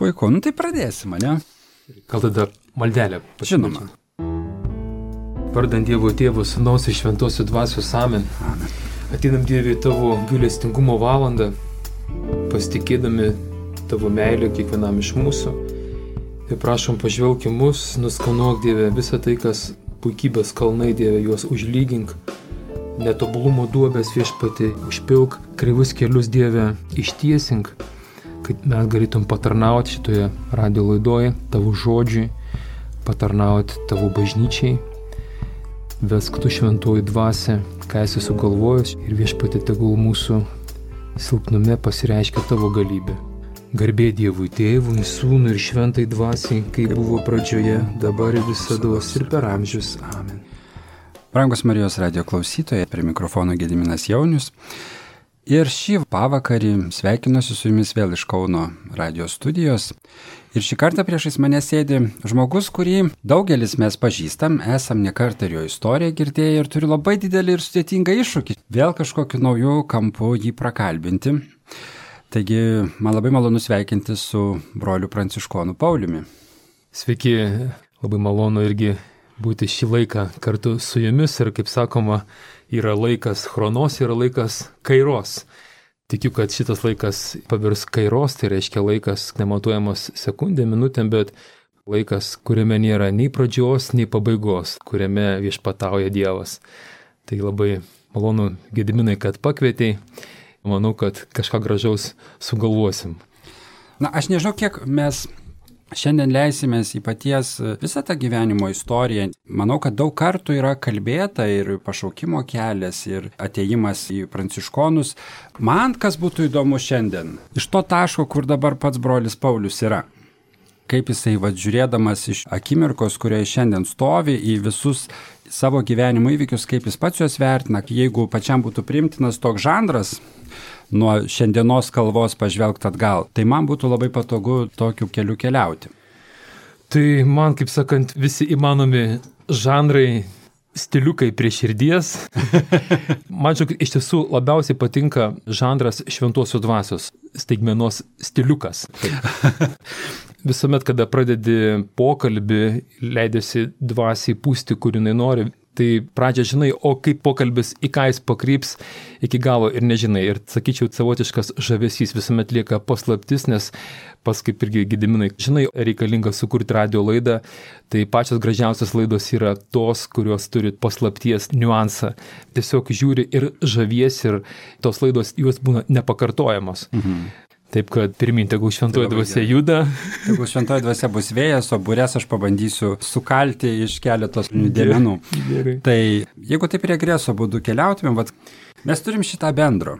Puiku, tai pradėsim, ne? Gal tada maldelę Žinoma. Vardant Dievo Tėvo, Sūnaus ir Šventosios Dvasios amen. Amen. Ateinam Dieve į tavo gailestingumo valandą, pasitikėdami tavo meilę kiekvienam iš mūsų. Ir prašom pažvelk į mus, nuskanuok Dieve visą tai, kas puikybės kalnai, Dieve, juos užlygink. Netobulumo duobės Viešpatie, užpilk kreivus kelius, Dieve, ištiesink, kad mes galėtum patarnauti šitoje radio laidoje tavo žodžiui, patarnauti tavo bažnyčiai. Vesk tu šventoji dvasia, ką esi sugalvojęs, ir Viešpatie tegul mūsų silpnume pasireiškia tavo galybė. Garbė Dievui Tėvui, Sūnui ir Šventai Dvasiai, kaip buvo pradžioje, dabar ir visados ir per amžius. Amen. Brangus Marijos radio klausytojai, prie mikrofono Gediminas Jaunius. Ir šį pavakarį sveikinuosi su jumis vėl iš Kauno radio studijos. Ir šį kartą priešais mane sėdi žmogus, kurį daugelis mes pažįstam, esam ne kartą ir jo istoriją girdėję ir turi labai didelį ir sudėtingą iššūkį. Vėl kažkokiu nauju kampu jį prakalbinti. Taigi, man labai malonu sveikinti su broliu Pranciškonu Pauliumi. Sveiki, labai malonu irgi būti šį laiką kartu su jumis ir, kaip sakoma, yra laikas chronos, yra laikas kairos. Tikiu, kad šitas laikas pavirs kairos, tai reiškia laikas nematuojamas sekundėm, minutėm, bet laikas, kuriame nėra nei pradžios, nei pabaigos, kuriame viešpatauja Dievas. Tai labai malonu, Gediminai, kad pakvietei. Manau, kad kažką gražaus sugalvosim. Na, aš nežinau, kiek mes šiandien leisimės į paties visą tą gyvenimo istoriją. Manau, kad daug kartų yra kalbėta ir pašaukimo kelias, ir atėjimas į pranciškonus. Man kas būtų įdomu šiandien, iš to taško, kur dabar pats brolis Paulius yra. Kaip jisai, žiūrėdamas iš akimirkos, kurioje šiandien stovi, į visus savo gyvenimo įvykius, kaip jis pats juos vertina, jeigu pačiam būtų priimtinas toks žanras, nuo šiandienos kalvos pažvelgti atgal. Tai man būtų labai patogu tokiu keliu keliauti. Tai man, kaip sakant, visi įmanomi žanrai, stiliukai prie širdies. Man iš tiesų labiausiai patinka žanras Šventosios Dvasios, staigmenos stiliukas. Visuomet, kada pradedi pokalbį, leidėsi dvasiai pūsti, kur jinai nori, tai pradžią žinai, o kaip pokalbis į ką jis pakryps iki galo ir nežinai. Ir sakyčiau, savotiškas žavesys visuomet lieka paslaptis, nes pas kaip irgi Gediminai, žinai, reikalinga sukurti radio laidą, tai pačios gražiausios laidos yra tos, kurios turi paslapties niuansą. Tiesiog žiūri ir žaviesi ir tos laidos jos būna nepakartojamos. Taip, kad pirmin, tegul šventoji dvasia juda. Tegul šventoji dvasia bus vėjas, o burės aš pabandysiu sukalti iš keletos dėmenų. Tai jeigu taip regreso būdu keliautumėm, mes turim šitą bendro.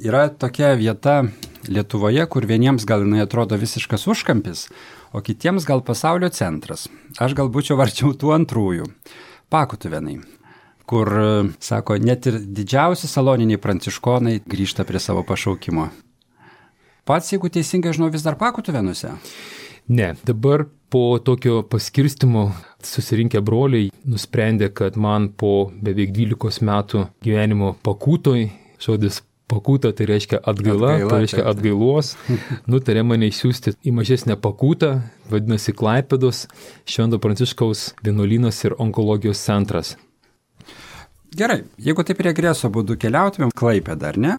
Yra tokia vieta Lietuvoje, kur vieniems gal jinai atrodo visiškas užkampis, o kitiems gal pasaulio centras. Aš gal būčiau varčiau tų antrųjų. Pakutuvėnai, kur, sako, net ir didžiausi saloniniai pranciškonai grįžta prie savo pašaukimo. Pats, jeigu teisingai žinau, vis dar Pakutuvėnuose? Ne, dabar po tokio paskirstimo susirinkę broliai nusprendė, kad man po beveik 12 metų gyvenimo Pakutoj, žodis Pakuta tai reiškia atgaila, tai reiškia atgailos, nutarė mane išsiųsti į mažesnę Pakutą, vadinasi Klaipėdos Švento Pranciškaus vienuolynas ir onkologijos centras. Gerai, jeigu taip regreso būdu keliautumėm, Klaipėdą, ar ne?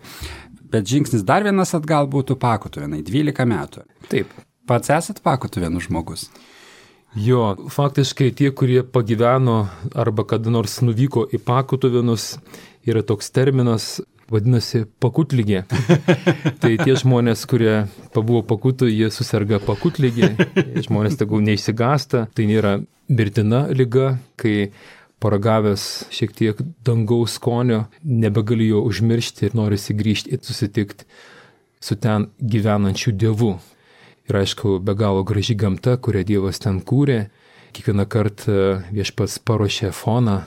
Bet žingsnis dar vienas atgal būtų Pakutuvėnai, 12 metų. Taip. Pats esat Pakutuvėnų žmogus? Jo, faktiškai tie, kurie pagyveno arba kada nors nuvyko į Pakutuvėnus, yra toks terminas, vadinasi pakutligė. Tai tie žmonės, kurie pabuvo Pakutui, jie susirga pakutligė, žmonės tegul neišsigąsta, tai nėra mirtina liga, kai paragavęs šiek tiek dangaus skonio, nebegali jo užmiršti ir norisi grįžti ir susitikti su ten gyvenančiu Dievu. Ir aišku, be galo graži gamta, kurią Dievas ten kūrė. Kiekvieną kartą viešpats paruošė foną.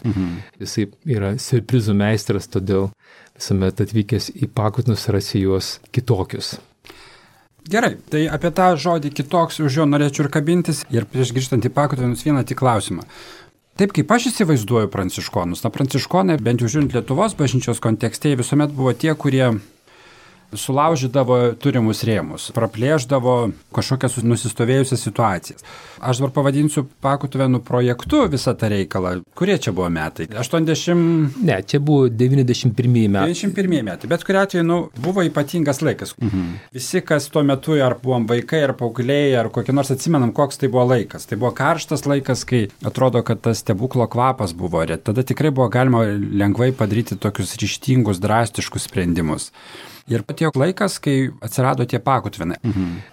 Jisai yra siurprizų meistras, todėl visuomet atvykęs į Pakutinus rasi juos kitokius. Gerai, tai apie tą žodį kitoks už jo norėčiau ir kabintis. Ir prieš grįžtant į Pakutuvėnus vieną tik klausimą. Taip kaip aš įsivaizduoju pranciškonus, pranciškonai, bent jau žiūrint Lietuvos bažnyčios kontekste, visuomet buvo tie, kurie sulaužydavo turimus rėmus, praplėždavo kažkokias nusistovėjusias situacijas. Aš dabar pavadinsiu Pakutuvėnų projektu visą tą reikalą. Kurie čia buvo metai? 80... Ne, čia buvo 91 metai. 91 metai, bet kuriuo atveju buvo ypatingas laikas. Visi, kas tuo metu ar buvom vaikai, ar paaugliai, ar kokį nors atsimenam, koks tai buvo laikas. Tai buvo karštas laikas, kai atrodo, kad tas stebuklo kvapas buvo. Tada tikrai buvo galima lengvai padaryti tokius ryžtingus, drastiškus sprendimus. Ir patėjo laikas, kai atsirado tie Pakutvinai.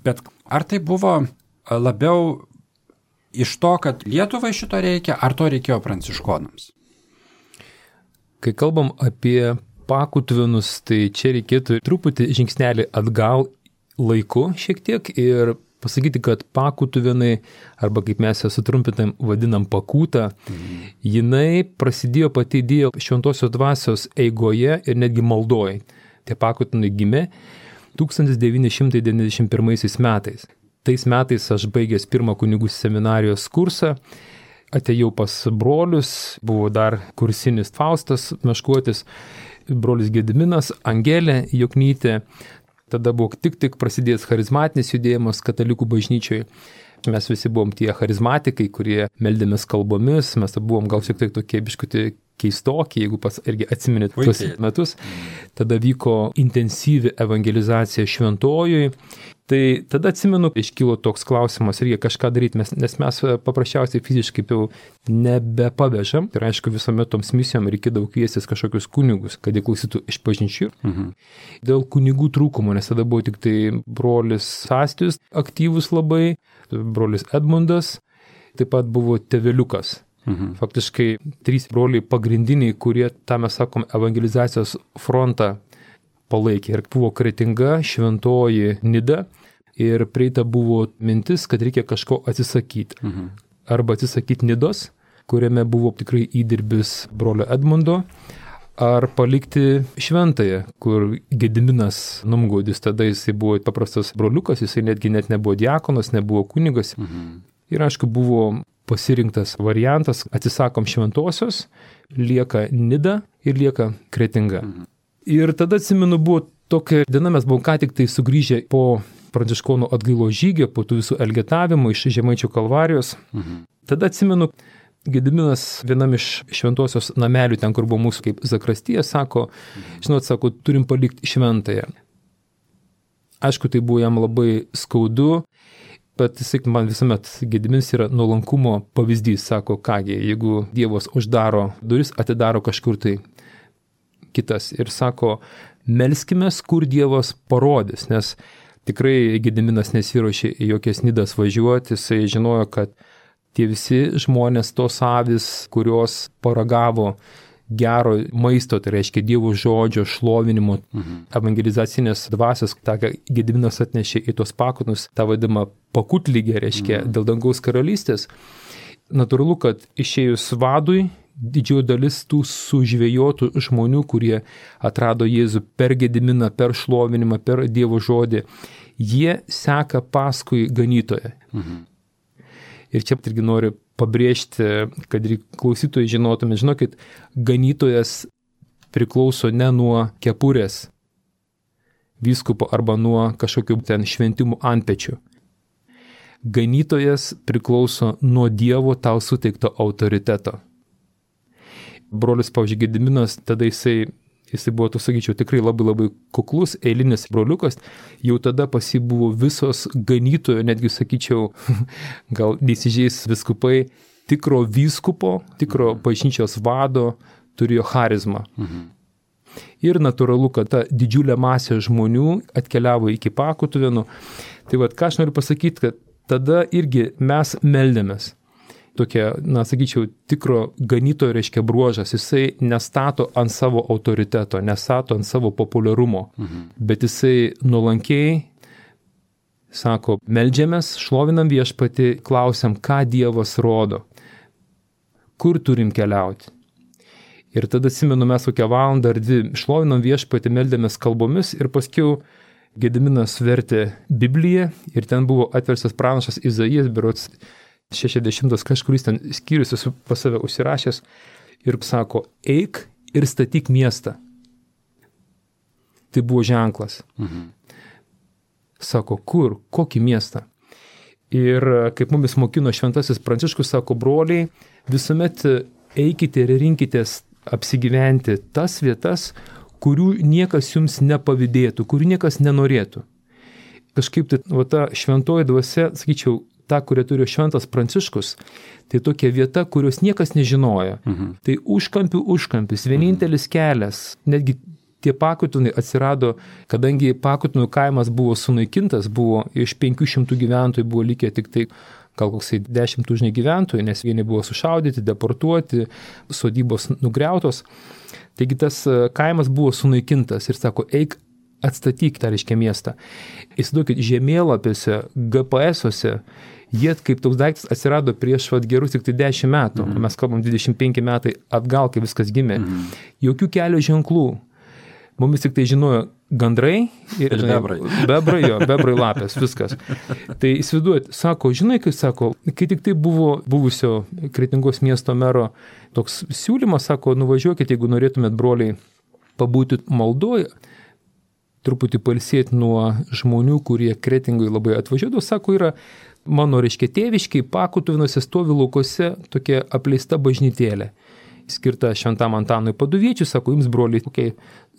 Bet ar tai buvo labiau iš to, kad Lietuvai šito reikia, ar to reikėjo pranciškonams? Kai kalbam apie Pakutvinus, tai čia reikėtų truputį žingsnelį atgal laiku šiek tiek ir pasakyti, kad Pakutvinai, arba kaip mes ją sutrumpinam vadinam Pakūta, jinai prasidėjo pati idėja Šventosios dvasios eigoje ir netgi maldoj. Tie Pakutvinai gimė 1991 metais. Tais metais aš baigęs pirmą kunigų seminarijos kursą, atėjau pas brolius, buvo dar kursinis Faustas Meškuotis, brolis Gediminas, Angelė Joknytė, tada buvo tik prasidėjęs charizmatinis judėjimas katalikų bažnyčioje. Mes visi buvom tie charizmatikai, kurie meldėmės kalbomis, mes buvom gal šiek tiek tokie biškuti keistokie, jeigu pas irgi atsiminėt tuos metus. Tada vyko intensyvi evangelizacija šventojui. Tai tada atsimenu, iškilo toks klausimas, reikia kažką daryti, nes mes paprasčiausiai fiziškai jau nebepavežam. Ir aišku, visuomet toms misijom reikėdavo kviestis kažkokius kunigus, kad jie klausytų iš bažnyčių. Dėl kunigų trūkumo, nes tada buvo tik tai brolis Sastijus aktyvus labai, brolis Edmundas, taip pat buvo tėveliukas. Faktiškai 3 broliai pagrindiniai, kurie, tą mes sakom, evangelizacijos frontą palaikė. Ir buvo Kretinga, Šventoji, Nida. Ir prieita buvo mintis, kad reikia kažko atsisakyti. Arba atsisakyti Nidos, kuriame buvo tikrai įdirbis brolio Edmundo, ar palikti Šventąją, kur Gediminas Numgaudis, tada jisai buvo paprastas broliukas, jisai netgi net nebuvo diakonas, nebuvo kunigas. Ir aišku, buvo pasirinktas variantas, atsisakom Šventosios, lieka Nida ir lieka Kretinga. Ir tada atsimenu, buvo tokia diena, mes buvom ką tik tai sugrįžę po pranciškonų atgailo žygio, po tų visų elgetavimų iš Žemaičių Kalvarijos. Tada atsimenu, Gediminas vienam iš Šventosios namelių, ten kur buvo mūsų kaip zakrastija, sako, žinot, sako, turim palikti Šventąją. Aišku, tai buvo jam labai skaudu, bet jisai man visuomet Gediminas yra nuolankumo pavyzdys, sako, kągi, jeigu Dievas uždaro duris, atidaro kažkur tai kitas. Ir sako, melskimės, kur Dievas parodys, nes tikrai Gediminas nesiruošė į jokias Nidas važiuoti, jisai žinojo, kad tie visi žmonės, tos avis, kurios paragavo gero maisto, tai reiškia Dievo žodžio, šlovinimo, evangelizacinės dvasios, tą Gediminas atnešė į tos Pakutinus, tą vadimą pakutlygę, reiškia dėl dangaus karalystės. Natūralu, kad išėjus vadui, didžioji dalis tų sužvėjotų žmonių, kurie atrado Jėzų per Gediminą, per šlovinimą, per Dievo žodį, jie seka paskui ganytoją. Ir čia irgi noriu pabrėžti, kad klausytojai žinotume, žinokit, ganytojas priklauso ne nuo kepurės vyskupo arba nuo kažkokių ten šventimų antpečių. Ganytojas priklauso nuo Dievo tau suteikto autoriteto. Brolis, pavyzdžiui, Gediminas, tada jisai buvo, tu sakyčiau, tikrai labai kuklus, eilinis broliukas, jau tada pas jį buvo visos ganytojo, netgi sakyčiau, gal neįsižeis viskupai, tikro vyskupo, tikro bažnyčios vado turėjo charizmą. Ir natūralu, kad ta didžiulė masė žmonių atkeliavo iki Pakutuvėnų. Tai ką aš noriu pasakyti, kad tada irgi mes meldėmės. Tokia, sakyčiau, tikro ganytojo reiškia bruožas, jisai nestato ant savo autoriteto, nestato ant savo populiarumo, bet jisai nuolankiai sako, meldžiamės, šlovinam Viešpatį, klausiam, ką Dievas rodo, kur turim keliauti. Ir tada atsimenu, mes kokią valandą ar 2 šlovinam Viešpatį, meldėmės kalbomis ir paskiau Gediminas vertė Bibliją ir ten buvo atverstas pranašas Izaijas, berods 60 kažkuris ten skyrius esu pas save užsirašęs ir sako, eik ir statyk miestą. tai buvo ženklas. Sako, kur, kokį miestą? Ir kaip mumis mokino šventasis Pranciškus, sako, broliai, visuomet eikite ir rinkitės apsigyventi tas vietas, kurių niekas jums nepavydėtų, kurių niekas nenorėtų. Kažkaip tai, ta šventoji dvasia, sakyčiau, ta, kurią turėjo šventas Pranciškus, tai tokia vieta, kurios niekas nežinojo. Tai užkampis, vienintelis kelias, netgi tie Pakutinai atsirado, kadangi Pakutinų kaimas buvo sunaikintas, buvo iš 500 gyventojų buvo likę tik tai gal koksai 10 tūkstančių gyventojų, nes vieni buvo sušaudyti, deportuoti, sodybos nugriautos. Taigi tas kaimas buvo sunaikintas ir sako, eik atstatyk tą reiškia miestą. Įsivaizduokit, žemėlapiuose, GPS-uose, jie kaip toks daiktas atsirado prieš gerus tik tai 10 metų, mes kalbam 25 metai atgal, kai viskas gimė. Jokių kelio ženklų. Mumis tik tai žinojo gandrai ir bebrai lapės, viskas. Tai įsivaizduojat, sako, žinai, kai tik tai buvo buvusio Kretingos miesto mero toks siūlymas, sako, nuvažiuokit, jeigu norėtumėt, broliai, pabūti maldoje, truputį pailsėti nuo žmonių, kurie Kretingoje labai atvažiuodavo, sako, yra mano, reiškia, tėviškiai, Pakutuvinuose stovi laukose tokia apleista bažnytėlė, skirta šventam Antanui Paduviečiui, sako, jums, broliai, kokiai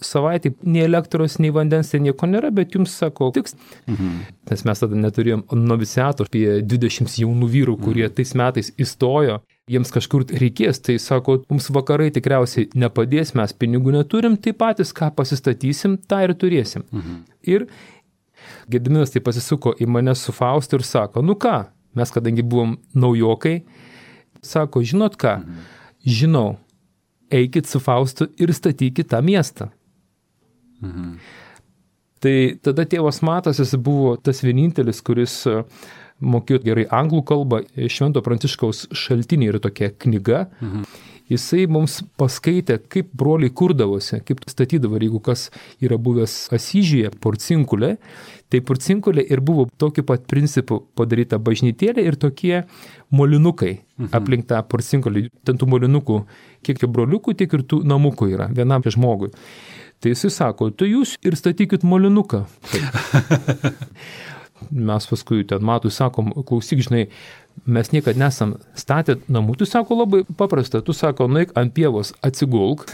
savaitė, nei elektros, nei vandens, nieko nėra, bet jums, sako, tiks. Nes mes tada neturėjom noviciatų, apie 20 jaunų vyrų, kurie tais metais įstojo, jiems kažkur reikės, tai sako, mums vakarai tikriausiai nepadės, mes pinigų neturim, tai patys ką pasistatysim, tą ir turėsim. Ir Gediminas tai pasisuko į mane su Faustu ir sako, nu ką, mes kadangi buvom naujokai, sako, žinot ką, žinau, eikit su Faustu ir statykit tą miestą. Tai tada tėvas Matas, jis buvo tas vienintelis, kuris mokėjo gerai anglų kalbą, Švento Pranciškaus šaltiniai yra tokia knyga. Jisai mums paskaitė, kaip broliai kurdavosi, kaip statydavo, jeigu kas yra buvęs Asyžiuje, Porcinkulė, tai Porcinkulė ir buvo tokiu pat principu padaryta bažnytėlė ir tokie molinukai aplink tą Porcinkulę. Ten tų molinukų, kiek broliukų, tiek ir tų namukų yra vienam žmogui. Tai jisai sako, tai jūs ir statykit molinuką. Mes paskui ten Matui sakom, klausyk, žinai, mes niekad nesam statę namų, tu sako labai paprasta, tu sako, nueik ant pievos, atsigulk,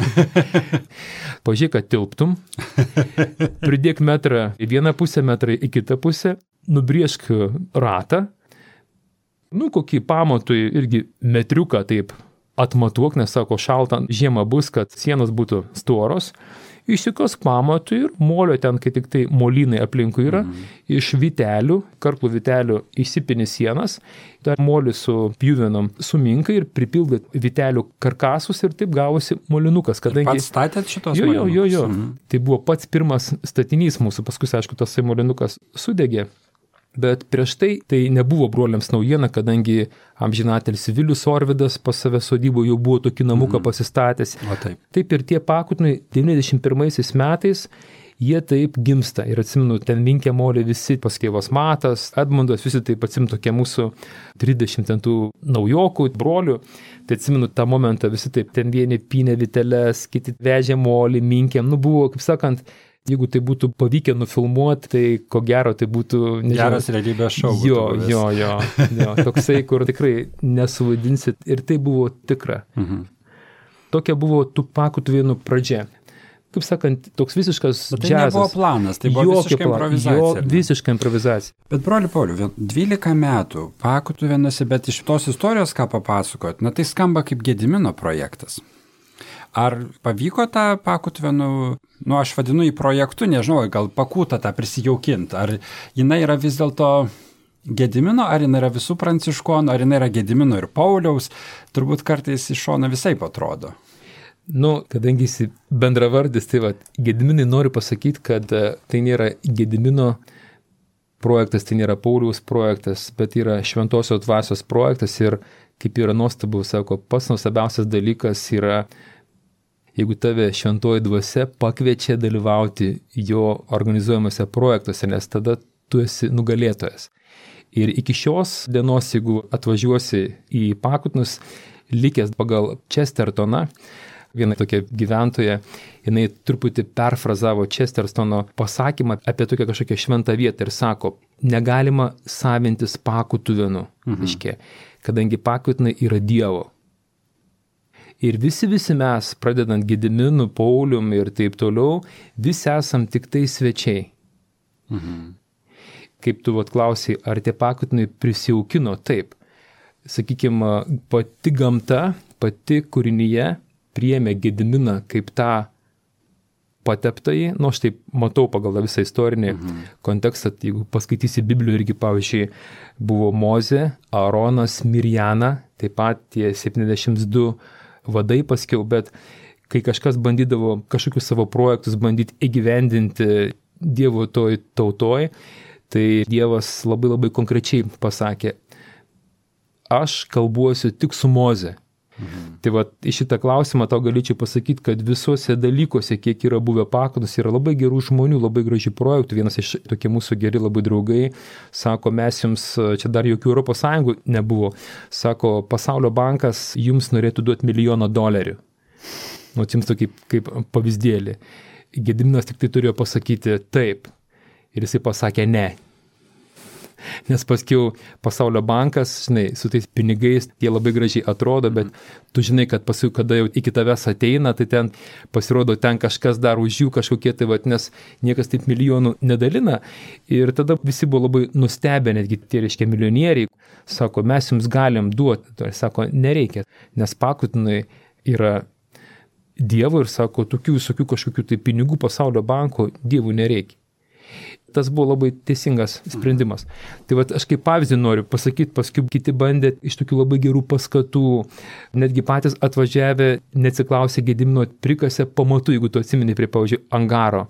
pažiūrėk, kad tilptum, pridėk metrą į vieną pusę, metrą į kitą pusę, nubrėžk ratą, kokį pamatui irgi metriuką taip atmatuok, nes sako, šalta žiemą bus, kad sienos būtų storos, išsikos pamatui ir molio ten, kai tik tai molynai aplinkui yra, iš vitelių, karklų vitelių įsipini sienas, tą molį su pjuvenom suminkai ir pripildai vitelių karkasus ir taip gavosi molinukas. Kadangi... Pats statėt šitos molinukus? Jo. Tai buvo pats pirmas statinys mūsų, paskui, aišku, tas molinukas sudegė. Bet prieš tai nebuvo broliams naujiena, kadangi amžinatelis Vilius Orvidas pas save sodybo jau buvo tokį namuką pasistatęs. Taip ir tie Pakutinai 91 metais jie taip gimsta. Ir atsimenu, ten vinkė molė visi, paskėvas Matas, Edmundas, visi taip atsimenu tokie mūsų 30 ten tų naujokų, brolių. Tai atsimenu tą momentą, visi taip ten vieni pynė viteles, kiti vežė molį, minkėm. Buvo, kaip sakant, jeigu tai būtų pavykę nufilmuoti, tai ko gero tai būtų... Geras realybės šou. Jo. Toksai, kur tikrai nesuvaidinsit. Ir tai buvo tikra. Tokia buvo tų Pakutuvėnų pradžia. Kaip sakant, toks visiškas džiazas. Tai nebuvo planas, tai buvo visiška improvizacija. Visiška improvizacija. Bet broli Pauliau, 12 metų Pakutuvėnuose, bet iš tos istorijos, ką papasakot, tai skamba kaip Gedimino projektas. Ar pavyko tą Pakutuvėnų, aš vadinu į projektų, nežinau, gal Pakutą tą prisijaukinti, ar jinai yra vis dėlto Gedimino, ar jinai yra visų pranciškonų, ar jinai yra Gedimino ir Pauliaus, turbūt kartais iš šono visai atrodo. Kadangi jis bendravardis, tai Gediminai nori pasakyti, kad tai nėra Gedimino projektas, tai nėra Pauliaus projektas, bet yra Šventosios dvasios projektas ir kaip yra nuostabu, sako, pats nuostabiausias dalykas yra, jeigu tave šventoji dvasia pakviečia dalyvauti jo organizuojamuose projektuose, nes tada tu esi nugalėtojas. Ir iki šios dienos, jeigu atvažiuosi į Pakutinus, likęs pagal Chestertoną, Viena tokia gyventoja, jinai truputį perfrazavo Chestertono pasakymą apie tokią kažkokią šventą vietą ir sako, negalima savintis pakutuvinų, kadangi pakutinai yra Dievo. Ir visi mes, pradedant Gediminu, Paulium ir taip toliau, visi esam tik tai svečiai. Kaip tu klausiai, ar tie pakutinai prisijaukino? Taip. Sakykime, pati gamta, pati kūrinyje priėmė Gediminą kaip tą pateptąjį, aš taip matau pagal visą istorinį kontekstą, jeigu paskaitysi Bibliją irgi, pavyzdžiui, buvo Mozė, Aaronas, Mirjana, taip pat tie 72 vadai paskiau, bet kai kažkas bandydavo kažkokius savo projektus bandyti įgyvendinti Dievo toj tautoj, tai Dievas labai konkrečiai pasakė, aš kalbuosiu tik su Moze. Tai į šitą klausimą tau galėčiau pasakyti, kad visuose dalykuose, kiek yra buvę pakutus, yra labai gerų žmonių, labai gražių projektų. Vienas iš tokie mūsų geri labai draugai sako, mes jums, čia dar jokių Europos Sąjungų nebuvo, sako, Pasaulio bankas jums norėtų duoti $1 milijoną. Jums tokį kaip pavyzdėlį. Gediminas tik tai turėjo pasakyti taip. Ir jisai pasakė ne. Nes paskiau Pasaulio bankas, su tais pinigais, jie labai gražiai atrodo, bet tu žinai, kad paskui, kada jau iki tavęs ateina, tai ten pasirodo ten kažkas dar už jų kažkokie, tai nes niekas taip milijonų nedalina. Ir tada visi buvo labai nustebę, netgi tie milijonieriai, sako, mes jums galim duoti. Tai sako, nereikia, nes pakutinai yra Dievo ir sako, tokių visokių kažkokių tai pinigų Pasaulio banko Dievų nereikia. Tas buvo labai teisingas sprendimas. Tai aš kaip pavyzdį noriu pasakyti, paskui kiti bandė iš tokių labai gerų paskatų, netgi patys atvažiavę, neatsiklausė Gedimino, prikasė pamatų, jeigu tu atsimeni prie, pavyzdžiui, angaro.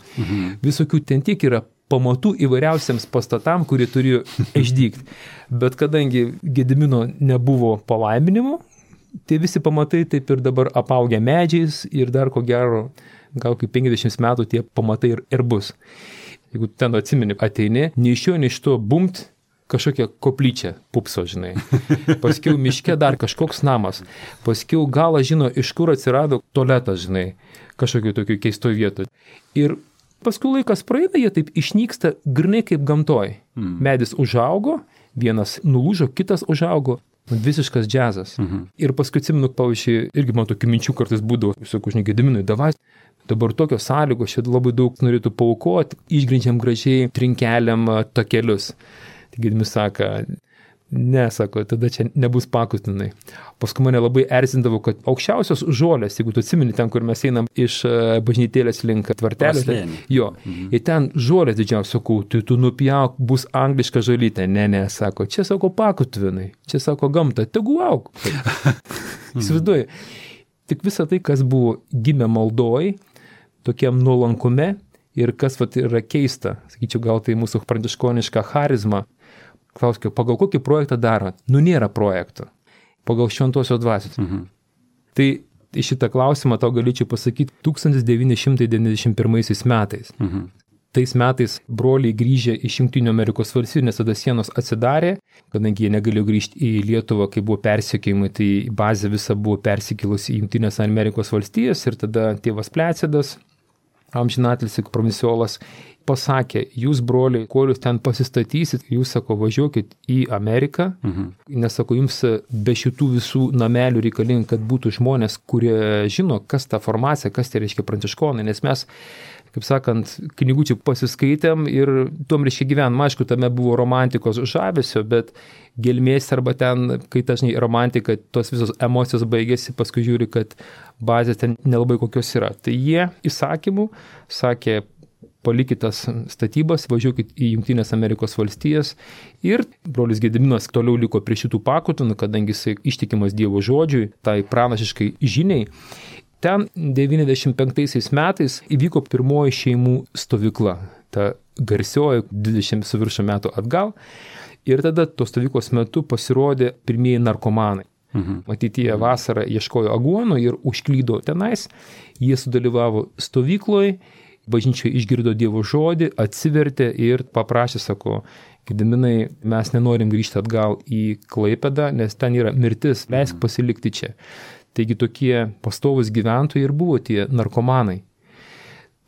Visokių ten tiek yra pamatų įvairiausiams pastatam, kurie turėjo išdygti. Bet kadangi Gedimino nebuvo palaiminimo, tai visi pamatai taip ir dabar apaugę medžiais ir dar ko gero, gal kaip 50 metų tie pamatai ir bus. Jeigu ten atsimeni, ateini, nei iš jo, nei iš to bumt kažkokia koplyčia pupso, žinai. Paskiau miške dar kažkoks namas. Paskiau galą žino, iš kur atsirado tualetas, žinai, kažkokiu tokiu keistoj vietoj. Ir paskui laikas praeina, jie taip išnyksta grinai kaip gamtoj. Medis užaugo, vienas nulūžo, kitas užaugo. Visiškas džiazas. Ir paskui atsimenu, pavyzdžiui, irgi man tokių minčių kartais būdavo, sakau, žinai, Gediminui, davai, dabar tokios sąlygos, šit labai daug norėtų paaukoti, išgrindžiam gražiai trinkeliam takelius. Tai Gedimis sako, ne, sako, tada čia nebus pakutinai. Paskui mane labai erzindavo, kad aukščiausios žolės, jeigu tu atsimeni ten, kur mes einam iš bažnytėlės link tvartelės, jo, ir ten žolės didžiausios, sakau, tu nupjauk, bus angliška žolytė. Ne, sako, čia, sako, pakutinai, čia, sako, gamta, tegu auk. Įsivaizduoju. Tik visą tai, kas buvo gimę maldoj, tokiam nuolankume ir kas yra keista, sakyčiau, gal tai mūsų pranciškoniška charizma. Klauskime, pagal kokį projektą daro? Nėra projekto. Pagal šventosios dvasios. Tai į šitą klausimą tau galėčiau pasakyti 1991 metais. Tais metais broliai grįžę iš Jungtinių Amerikos valstijų, nes tada sienos atsidarė, kadangi jie negalėjo grįžti į Lietuvą, kai buvo persekiojimai, tai bazė visa buvo persikėlusi į Jungtinės Amerikos valstijas ir tada tėvas Plecidas, amžinatilsį provinciolas, pasakė, jūs broliai, kol jūs ten pasistatysit, jūs, sako, važiuokit į Ameriką, nes, sako, jums be šitų visų namelių reikalinga, kad būtų žmonės, kurie žino, kas ta formacija, kas tai reiškia pranciškonai, nes mes, kaip sakant, knygučių pasiskaitėm ir tuom reiškia gyvenam. Aišku, tame buvo romantikos žavesio, bet gelmės arba ten, kai dažnai romantika, tos visos emocijos baigėsi, paskui žiūri, kad bazės ten nelabai kokios yra. Tai jie įsakymų sakė, palikit tas statybas, važiuokit į Jungtinės Amerikos valstijas ir brolis Gediminas toliau liko prie šitų pakutinų, kadangi jisai ištikimas Dievo žodžiui, tai pranašiškai žiniai. Ten 95 metais įvyko pirmoji šeimų stovykla, ta garsioji 20 su viršų metų atgal ir tada tos stovyklos metu pasirodė pirmieji narkomanai. Ateityje vasarą ieškojo aguonų ir užklydo tenais, jie sudalyvavo stovykloje, bažnyčioje išgirdo Dievo žodį, atsivertė ir paprašė, sako, Gediminai, mes nenorim grįžti atgal į Klaipėdą, nes ten yra mirtis, leisk pasilikti čia. Taigi tokie pastovus gyventojai ir buvo tie narkomanai.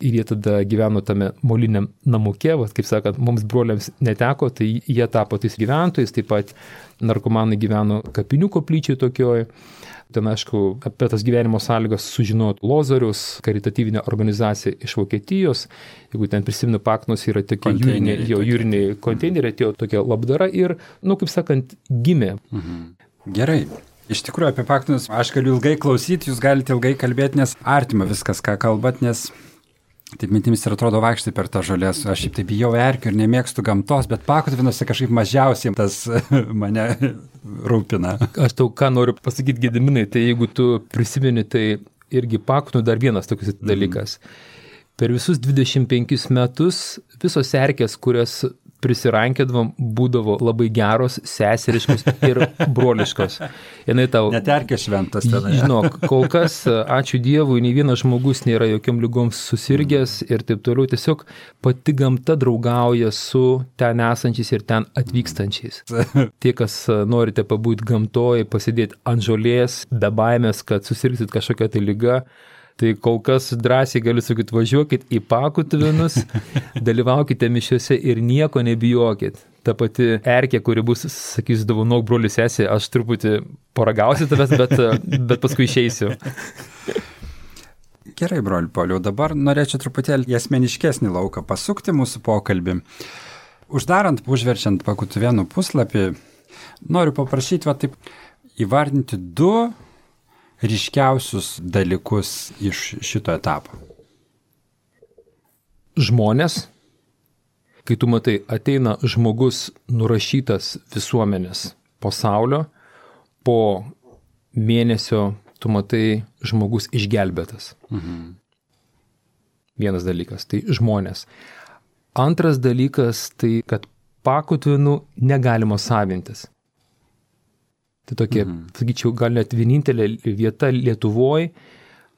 Ir jie tada gyveno tame moliniam namuke, kaip sakant, mums broliams neteko, tai jie tapo tais gyventojais, taip pat narkomanai gyveno kapinių koplyčiai tokioj. Ten, aišku, apie tas gyvenimo sąlygas sužinojo Lozorius, karitatyvinė organizacija iš Vokietijos. Jeigu ten prisimenu, Paknos yra tokie jūriniai konteineriai, atėjo tokia labdara ir, kaip sakant, gimė. Gerai. Iš tikrųjų, apie Paknus aš galiu ilgai klausyti, jūs galite ilgai kalbėti, nes artima viskas, ką kalbat, nes taip mintimis ir atrodo vaikštai per tą žolės. Aš šiaip taip bijau erkių ir nemėgstu gamtos, bet Pakutvinuose kažkaip mažiausiai tas mane rūpina. Aš tau ką noriu pasakyti, Gediminai, tai jeigu tu prisimeni, tai irgi Pakutvinų dar vienas toks dalykas. Per visus 25 metus visos erkės, kurias prisirankėdavom, būdavo labai geros, seseriškos ir broliškos. Net erkė šventas tenai. Žinok, kol kas, ačiū Dievui, nei vienas žmogus nėra jokiom lygoms susirgęs ir taip toliau. Tiesiog pati gamta draugauja su ten esančiais ir ten atvykstančiais. Tie, kas norite pabūti gamtoje, pasidėti ant žolės, be baimės, kad susirgsit kažkokią tai lygą, tai kol kas drąsiai galiu sakyti, važiuokit į Pakutvinus, dalyvaukite mišiuose ir nieko nebijokit. Ta pati erkė, kuri bus, sakys, dovanok broli sesė, aš truputį paragausiu tavęs, bet paskui išeisiu. Gerai, broli Pauliau, dabar norėčiau truputėlį į asmeniškesnį lauką pasukti mūsų pokalbį. Uždarant, užverčiant Pakutvinų puslapį, noriu paprašyti taip įvardinti 2 ryškiausius dalykus iš šito etapo. Žmonės, kai tu matai, ateina žmogus nurašytas visuomenės pasaulio, po mėnesio tu matai žmogus išgelbėtas. Vienas dalykas, tai žmonės. Antras dalykas, tai kad Pakutvinų negalima savintis. Tai tokia, sakyčiau, gal net vienintelė vieta Lietuvoje,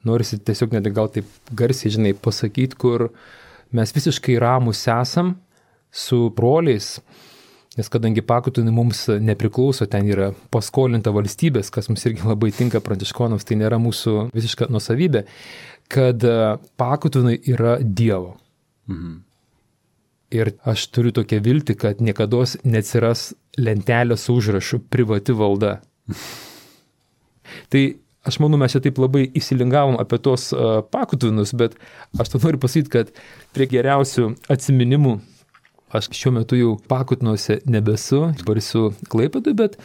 norisi tiesiog net gal taip garsiai, pasakyti, kur mes visiškai ramus esam su broliais, nes kadangi Pakutvinai mums nepriklauso, ten yra paskolinta valstybės, kas mums irgi labai tinka pranciškonams, tai nėra mūsų visiška nuosavybė, kad Pakutvinai yra Dievo. Ir aš turiu tokią viltį, kad niekados neatsiras lentelė su užrašu privati valda. Tai aš manau, mes čia taip labai įsilingavom apie tos Pakutvinus, bet aš to noriu pasakyti, kad prie geriausių atsiminimų aš šiuo metu jau Pakutvinuose nebesu, dabar esu Klaipėdoje, bet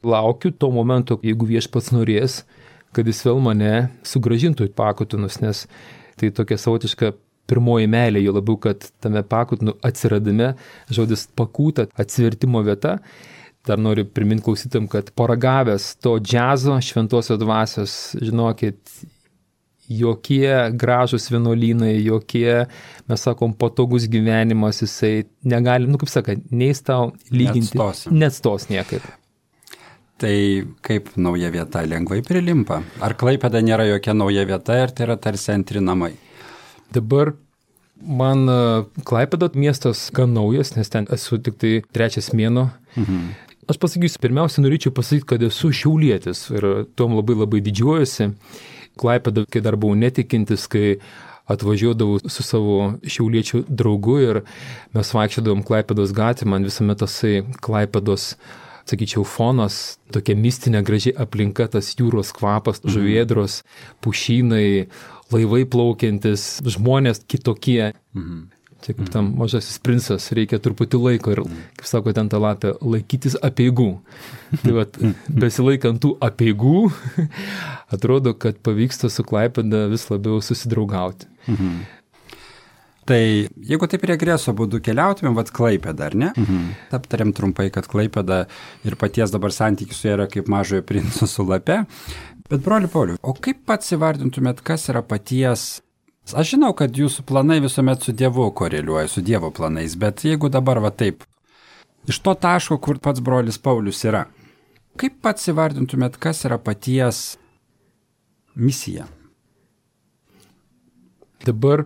laukiu to momento, jeigu Viešpats norės, kad jis vėl mane sugrąžintų į Pakutvinus, nes tai tokia savotiška pirmoji meilė, jo labiau, kad tame Pakutvinų atsiradime žodis pakūta, atsivertimo vieta. Dar noriu priminti klausytam, kad paragavęs to džiazo, šventosios dvasios, žinokit, jokie gražus vienuolynai, jokie, mes sakom, patogus gyvenimas, jisai negali, kaip sakant, neis tau lyginti, neatstos niekaip. Tai kaip nauja vieta lengvai prilimpa? Ar Klaipėda nėra jokia nauja vieta ir tai yra tarsi antri namai? Dabar man Klaipėda miestas gan naujas, nes ten esu tik tai 3 mėnuo. Aš pasakysiu, pirmiausia, norėčiau pasakyti, kad esu šiaulietis ir tom labai labai didžiuojuosi. Klaipėda, kai dar buvau netikintis, kai atvažiuodavau su savo šiauliečių draugu ir mes vaikščiodavom Klaipėdos gatvę, man visuomet tasai Klaipėdos, sakyčiau, fonas, tokia mistinė graži aplinka, tas jūros kvapas, žuvėdros, pušynai, laivai plaukiantis, žmonės kitokie. Čia kaip tam mažasis princas, reikia truputį laiko ir, kaip sako ten ta lapė, laikytis apeigų. Tai vat, besilaikant tų apeigų, atrodo, kad pavyksta su Klaipėda vis labiau susidraugauti. Tai jeigu taip regreso būdu keliautumėm, Klaipėda, ar ne? Aptarėm trumpai, kad Klaipėda ir paties dabar santykis su yra kaip mažojo princo su lape. Bet broli Pauliau, o kaip pats įvardintumėt, kas yra paties... Aš žinau, kad jūsų planai visuomet su Dievu koreliuoja, su Dievo planais, bet jeigu dabar taip, iš to taško, kur pats brolis Paulius yra, kaip pats įvardintumėt, kas yra paties misija? Dabar,